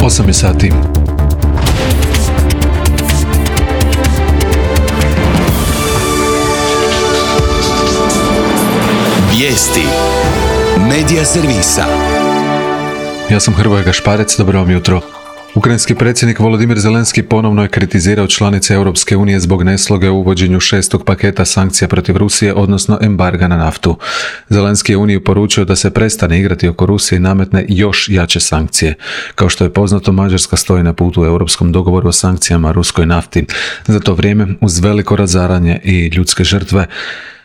8 je sati. Vijesti Medija servisa. Ja sam Hrvoje Gašparec, dobro vam jutro. Ukrajinski predsjednik Volodimir Zelenski ponovno je kritizirao članice Europske unije zbog nesloge u uvođenju 6. paketa sankcija protiv Rusije, odnosno embarga na naftu. Zelenski je Uniju poručio da se prestane igrati oko Rusije i nametne još jače sankcije. Kao što je poznato, Mađarska stoji na putu u europskom dogovoru o sankcijama ruskoj nafti. Za to vrijeme, uz veliko razaranje i ljudske žrtve,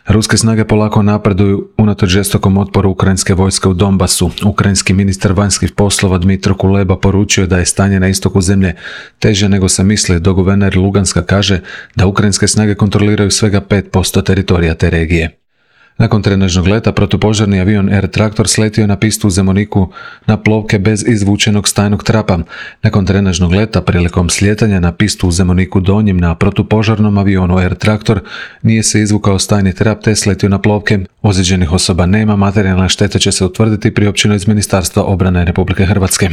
ruske snage polako napreduju unatoč žestokom otporu ukrajinske vojske u Donbasu. Ukrajinski ministar vanjskih poslova Dmitro Kuleba poručio da je stanje na istoku zemlje teže nego se misli, dok guverner Luganska kaže da ukrajinske snage kontroliraju svega 5% teritorija te regije. Nakon trenažnog leta, protupožarni avion Air Tractor sletio na pistu u Zemuniku na plovke bez izvučenog stajnog trapa. Nakon trenažnog leta, prilikom slijetanja na pistu u Zemuniku Donjim na protupožarnom avionu Air Tractor nije se izvukao stajni trap te sletio na plovke. Ozlijeđenih osoba nema, materijalna šteta će se utvrditi, priopćeno iz Ministarstva obrane Republike Hrvatske.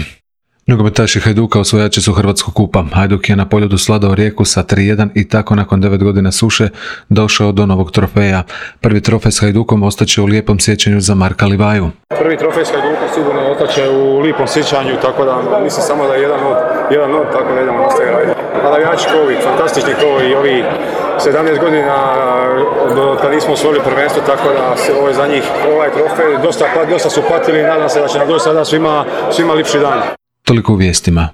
Nogometaši Hajduka osvojači su Hrvatskog kupa. Hajduk je na Poljudu svladao Rijeku sa 3:1 i tako nakon 9 godina suše došao do novog trofeja. Prvi trofej s Hajdukom ostaće u lijepom sjećanju za Marka Livaju. Prvi trofej s Hajdukom sigurno ostaće u lijepom sjećanju, tako da mislim samo da je jedan od, tako da idemo nastaviti raditi. A navijači kovi, fantastični kovi i ovi 17 godina od kad nismo osvojili prvenstvo, tako da se ovo je za njih ovaj trofej. Dosta su patili i nadam se da će nam doći sada svima lipši dan. Toliko u vijestima.